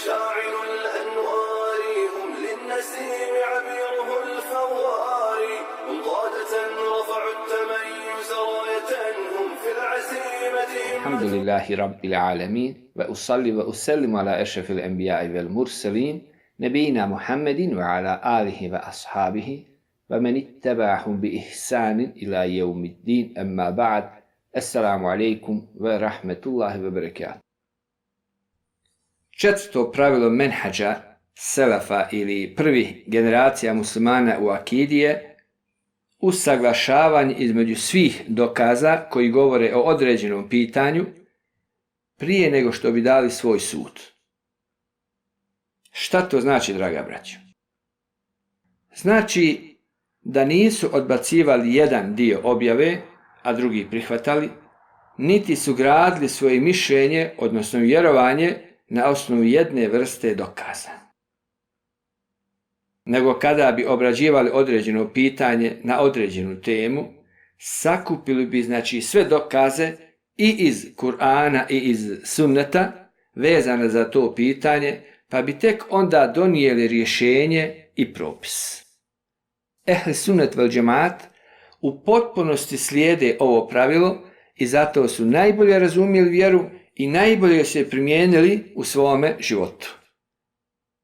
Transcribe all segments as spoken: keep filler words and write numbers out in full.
مشاعل الأنوار هم للنسيم عبيره الفوار هم قادة رفعوا التميز راية هم في العزيمة. الحمد لله رب العالمين وأصلي وأسلم على أشرف الأنبياء والمرسلين نبينا محمد وعلى آله وأصحابه ومن اتبعهم بإحسان إلى يوم الدين. أما بعد. Assalamu alaikum wa rahmetullahi wa barakatuh. Četvrto pravilo menhađa selefa ili prvih generacija muslimana u akidi je usaglašavanje između svih dokaza koji govore o određenom pitanju prije nego što bi dali svoj sud. Šta to znači, draga braćo? Znači da nisu odbacivali jedan dio objave, a drugi prihvatali, niti su gradili svoje mišljenje, odnosno vjerovanje, na osnovu jedne vrste dokaza. Nego kada bi obrađivali određeno pitanje na određenu temu, sakupili bi znači sve dokaze i iz Kur'ana i iz sunneta vezane za to pitanje, pa bi tek onda donijeli rješenje i propis. Ehli sunnet vel džemaat u potpunosti slijede ovo pravilo i zato su najbolje razumjeli vjeru i najbolje se primijenili u svome životu.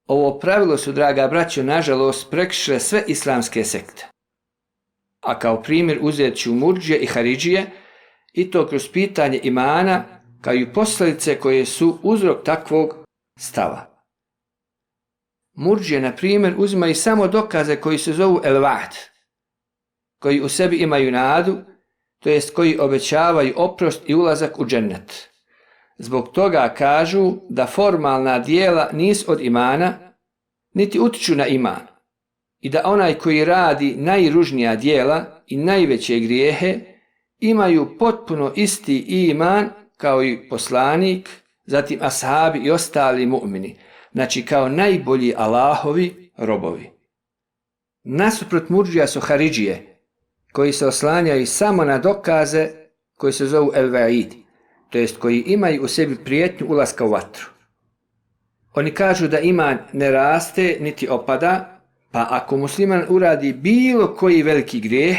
Ovo pravilo su, draga braćo, nažalost prekršile sve islamske sekte. A kao primjer uzet ću murdžije i haridžije, i to kroz pitanje imana, kao i posljedice koje su uzrok takvog stava. Murdžije, na primjer, uzimaju samo dokaze koji se zovu el-va'd, koji u sebi imaju nadu, to jest koji obećavaju oprost i ulazak u džennet. Zbog toga kažu da formalna dijela nisu od imana, niti utiču na iman, i da onaj koji radi najružnija dijela i najveće grijehe imaju potpuno isti iman kao i poslanik, zatim ashabi i ostali mu'mini, znači kao najbolji Allahovi robovi. Nasuprot murdžija su haridžije, koji se oslanjaju samo na dokaze koji se zovu el-va'id, to jest koji imaju u sebi prijetnju ulaska u vatru. Oni kažu da iman ne raste niti opada, pa ako musliman uradi bilo koji veliki grijeh,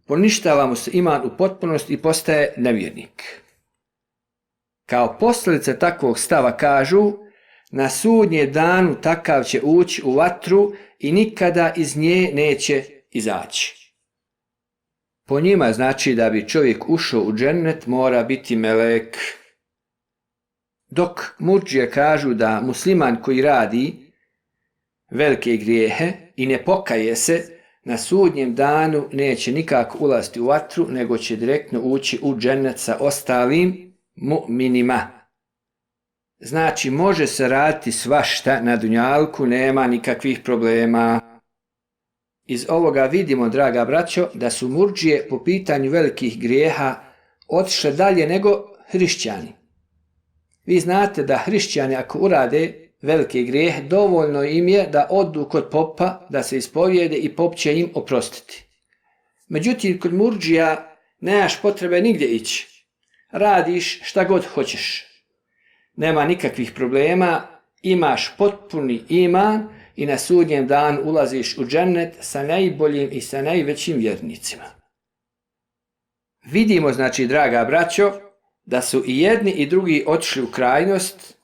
poništava mu se iman u potpunosti i postaje nevjernik. Kao posljedice takvog stava kažu, na sudnje danu takav će ući u vatru i nikada iz nje neće izaći. Po njima znači da bi čovjek ušao u džennet mora biti melek. Dok murdžije kažu da musliman koji radi velike grijehe i ne pokaje se, na sudnjem danu neće nikako ulaziti u vatru, nego će direktno ući u džennet sa ostalim mu'minima. Znači može se raditi svašta na dunjalku, nema nikakvih problema. Iz ovoga vidimo, draga braćo, da su murdžije po pitanju velikih grijeha otišle dalje nego hrišćani. Vi znate da hrišćani ako urade velike grijehe, dovoljno im je da odu kod popa, da se ispovijede i pop će im oprostiti. Međutim, kod murdžija nemaš potrebe nigdje ići. Radiš šta god hoćeš. Nema nikakvih problema, imaš potpuni iman i na sudnjem danu ulaziš u džennet sa najboljim i sa najvećim vjernicima. Vidimo, znači, draga braćo, da su i jedni i drugi otišli u krajnost,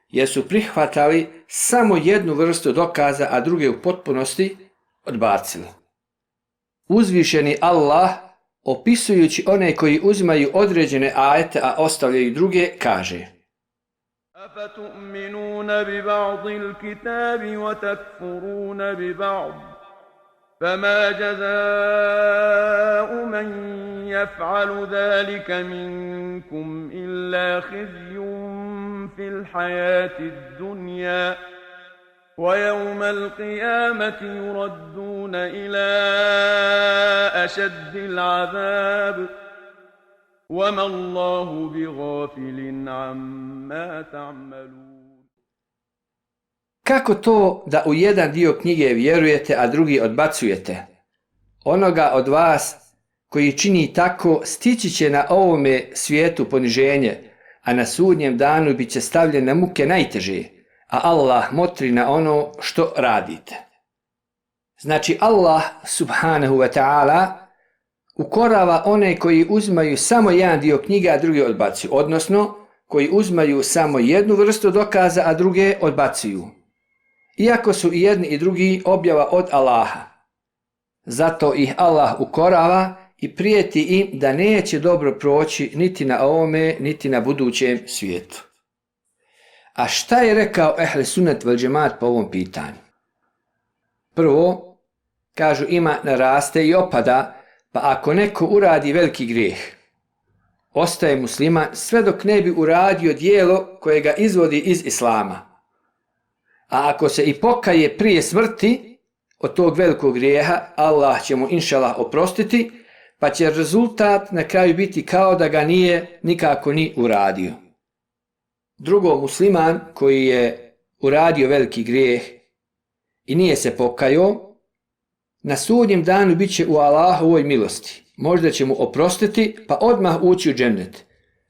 jer su prihvatali samo jednu vrstu dokaza, a druge u potpunosti odbacili. Uzvišeni Allah, opisujući one koji uzimaju određene ajete, a ostavljaju druge, kaže: أفتؤمنون ببعض الكتاب وتكفرون ببعض فما جزاء من يفعل ذلك منكم إلا خزي في الحياة الدنيا ويوم القيامة يردون إلى أشد العذاب وَمَا اللَّهُ بِغَافِلٍ عَمَّا تَعْمَلُونَ. Kako to da u jedan dio knjige vjerujete, a drugi odbacujete? Onoga od vas koji čini tako stići će na ovome svijetu poniženje, a na sudnjem danu bit će stavljen na muke najteže, a Allah motri na ono što radite. Znači Allah subhanahu wa ta'ala ukorava one koji uzmaju samo jedan dio knjiga, a drugi odbacuju, odnosno koji uzmaju samo jednu vrstu dokaza, a druge odbacuju. Iako su i jedni i drugi objava od Allaha. Zato ih Allah ukorava i prijeti im da neće dobro proći niti na ovome, niti na budućem svijetu. A šta je rekao ehli sunnet vel džemat po ovom pitanju? Prvo, kažu ima naraste i opada, pa ako neko uradi veliki grijeh, ostaje musliman sve dok ne bi uradio dijelo koje ga izvodi iz islama. A ako se i pokaje prije smrti od tog velikog grijeha, Allah će mu inšalah oprostiti, pa će rezultat na kraju biti kao da ga nije nikako ni uradio. Drugo, musliman koji je uradio veliki grijeh i nije se pokajao, na sudnjem danu bit će u Allahovoj milosti. Možda će mu oprostiti pa odmah ući u džennet,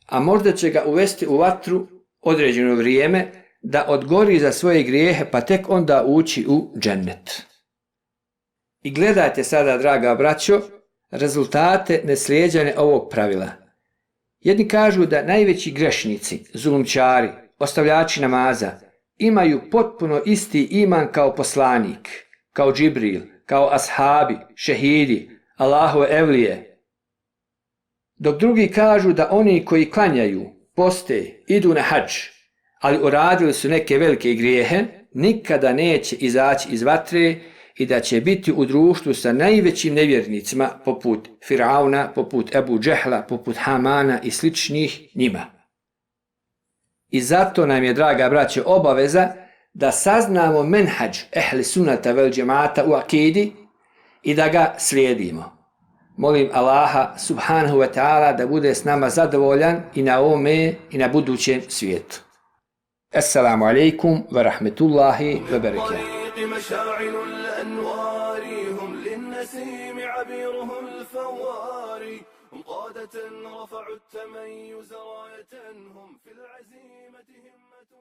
a možda će ga uvesti u vatru određeno vrijeme da odgori za svoje grijehe pa tek onda ući u džennet. I gledajte sada, draga braćo, rezultate neslijeđane ovog pravila. Jedni kažu da najveći grešnici, zulumčari, ostavljači namaza, imaju potpuno isti iman kao poslanik, kao Džibril, kao ashabi, šehidi, Allahove evlije. Dok drugi kažu da oni koji klanjaju, poste, idu na hadž, ali uradili su neke velike grijehe, nikada neće izaći iz vatre i da će biti u društvu sa najvećim nevjernicima poput Firauna, poput Ebu Džehla, poput Hamana i sličnih njima. I zato nam je, draga braće, obaveza da saznamo menhadž ehli sunnata vel džemata u akidi i da ga slijedimo. Molim Allaha subhanahu wa ta'ala da bude s nama zadovoljan i na ovome i na budućem svijetu. Assalamu alaikum wa rahmetullahi wa barakatuh. مشاعل الأنوار هم للنسيم عبيره الفواري هم قادة رفعوا التميز راية هم في العزيمة همة